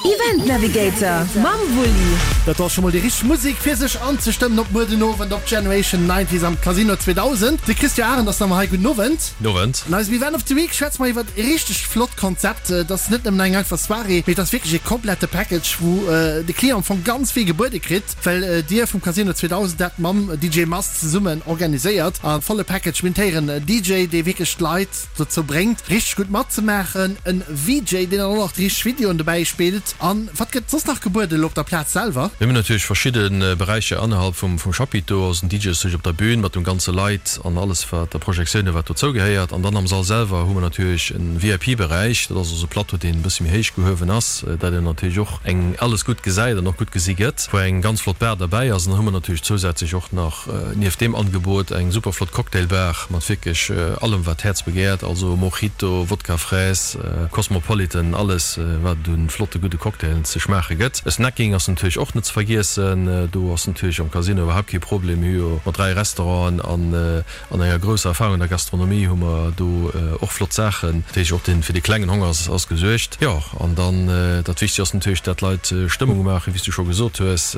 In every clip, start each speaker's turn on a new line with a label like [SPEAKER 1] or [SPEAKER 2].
[SPEAKER 1] Event Navigator mam Wulli.
[SPEAKER 2] Dat ass scho mol déi richteg Musek fir sech anzestëmmen op muer den Owend op Generation Nineties am Casino 2000. De Christian Arendt ass nach ëmmer hei. Gudden Owend.
[SPEAKER 3] Owend.
[SPEAKER 2] An eisem Event of the Week schwätze mer iwwert e richteg flott Konzept. Et ass net nëmmen eng einfach Soirée, mee et ass wierklech e komplette Package, wou de Client am Fong ganz vill gebuede kritt, well dir vum Casino 2000 dat mam DJ Mast zesummen organiséiert. A volle Package, mir hunn héieren en DJ, dee wierklech d'Leit dozou bréngt richteg gutt matzemaachen, en VJ deen dann och nach déi richteg Videoen dobäi spillt an wat gëtt soss nach gebueden elo op der Plaz selwer?
[SPEAKER 3] Mir hunn natierlech verschidde Beräicher innerhalb vum Chapiteau, also den DJ ass natierlech op der Bühn mat dem ganze Leit an alles wat a Projektiounen wat dozou gehéiert an dann am Sall selwer hu mer natierlech en VIP Beräich, dat ass also e Plateau deen e bësse méi héich gehuewen ass, dat een natierlech och eng alles gutt gesäit an och gutt gesi gëtt, wou eng ganz flott Bar derbäi ass an dann hu mer natierlech zousätzlech och nach Nieft deem Angebot eng super flott Cocktailbar mat wierklech allem wat d'Häerz begehrt, also Mojito, Wodka Fraise, Cosmopolitan, alles wat et un flotte gudde Cocktailen ze schmaache gëtt. Snacking ass natierlech och net ze vergiessen, do ass natierlech am Casino iwwerhaapt kee Problem. Mir hu jo mat 3 Restauranten an an enger grousser Erfahrung an der Gastronomie hu mer do och flott Saachen. Dat heescht och den fir de klengen Honger ass gesuergt. Jo an dann dat Wichtegst ass natierlech dat d'Leit Stëmmung maachen, wéi s du scho gesot hues.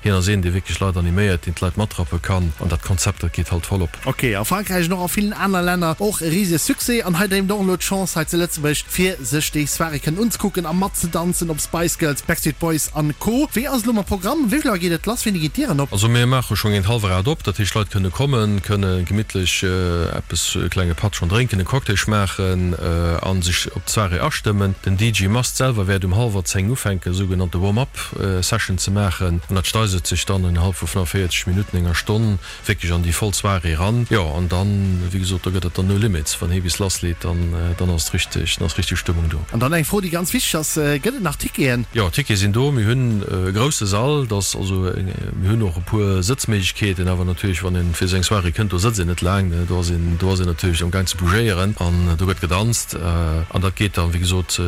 [SPEAKER 3] Hien ass een, dee wierklech Leit animéiert, deen d'Leit matrappe kann. An dat Konzept, dat geet halt voll op.
[SPEAKER 2] Ok, a Frankräich an och a villen aner Länner och e risege Succès. An hei dréimt och elo d'Chance hei zu Lëtzebuerg, fir sech déi Soirée kënnen unzekucken a matzedanzen op Spice Girls, Backstreet Boys an Co. Wéi ass et elo mam Programm? Wéi vill Auer geet et lass? Wéini ginn d'Dieren op?
[SPEAKER 3] Also mir maache schonn géint hallwer 8 op, dat heescht d'Leit kënne kommen, kënne gemittlech eppes, e klenge Patt schonn drénken, e Cocktail schmaachen a sech op d'Soirée astëmmen. Den DJ Mast selwer wäert um hallwer 10 ufänken, sougenannte Warm-up. Session ze maachen an dat steisert sech dann innerhalb vu 45 Minutten, enger Stonn wierklech an déi voll Soirée eran. Jo, an dann, wéi gesot, do gëtt et dann no limits. Wann hee bis lassleet, dann, dann ass et richteg, dann ass richteg Stëmmung do.
[SPEAKER 2] An dann eng Fro, déi ganz wichteg ass, Gëtt et nach Ticketen?
[SPEAKER 3] Jo, Tickete sinn do. Mir hunn e grousse Sall, dass also, mir hunn och e puer Sëtzméiglechkeeten, awer natierlech, wann een fir esou eng Soirée kënnt, do sëtzt een net laang, do ass een, do ass een natierlech amgaang ze bougéieren an do gëtt gedanzt an dat geet dann, wéi gesot,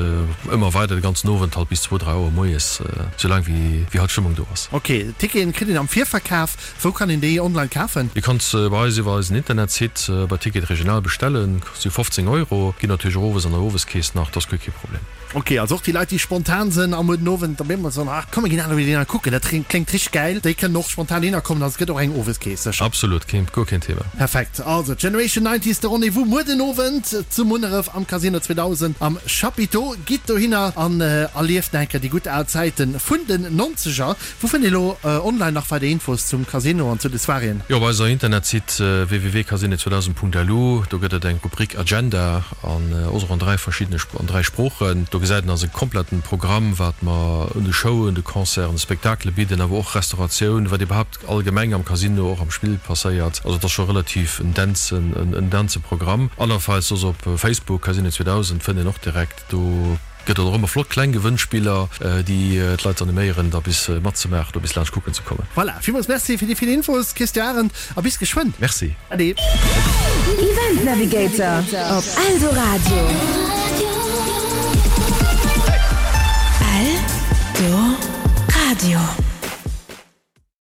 [SPEAKER 3] Ëmmer weider de ganzen Owend, halt bis zwou, drai Auer moies, sou laang wéi halt Stëmmung do ass.
[SPEAKER 2] Ok, Ticketen kritt een am Virverkaf. Wou kann een déi online kafen?
[SPEAKER 3] Dir kannt se bei eis iwwer eisen Internetsite bei Ticket Regional bestellen, si 15 Euro, ginn natierlech och owes an der Oweskeess nach, dat ass guer kee Problem.
[SPEAKER 2] Ok, also och déi Leit déi spontan sënn a muer den Owend op eemol soen, ach komm mir ginn aner Ideen kucken, dat kléngt richteg gäil, déi kënnen och spontan hinner kommen, also et gëtt och eng Oweskeess sécher.
[SPEAKER 3] Absolut, keen, guer keen Thema.
[SPEAKER 2] Perfekt, also Generation Nineties, de Rendez-vous muer den Owend zu Munneref am Casino 2000 am Chapiteau. Gitt dohinner an erlieft nach eng Kéier déi gutt al Zäiten vun den Nonzeger. Wou fënnt ee lo online nach weider Infos zum Casino an zu de Soiréeën?
[SPEAKER 3] Jo, op eiser Internetsite www.casino2000.lu, do gëtt et eng Rubrik Agenda an och an 3 verschiddene, an 3 Sproochen. Do gesäit een eise kompletten Programm, wat mer un de Showen, de Concerten, de Spektakele bidden, awer och Restauratioun, wat iwwerhaapt allgemeng am Casino, och am Spill passéiert. Also et ass scho relativ en densen, en dense Programm. Andernfalls soss op Facebook, Casino 2000, fënnt een och direkt. Do gëtt et och ëmmer flott kleng Gewënnspiller, déi d'Leit animéieren, da bis matzemaachen oder bis laanscht kucken ze kommen.
[SPEAKER 2] Voilà, villmools Merci fir déi vill Infos, Christian Arendt, a bis geschwënn.
[SPEAKER 3] Merci.
[SPEAKER 2] Ade.
[SPEAKER 1] Event Navigator op Eldoradio. Eldoradio.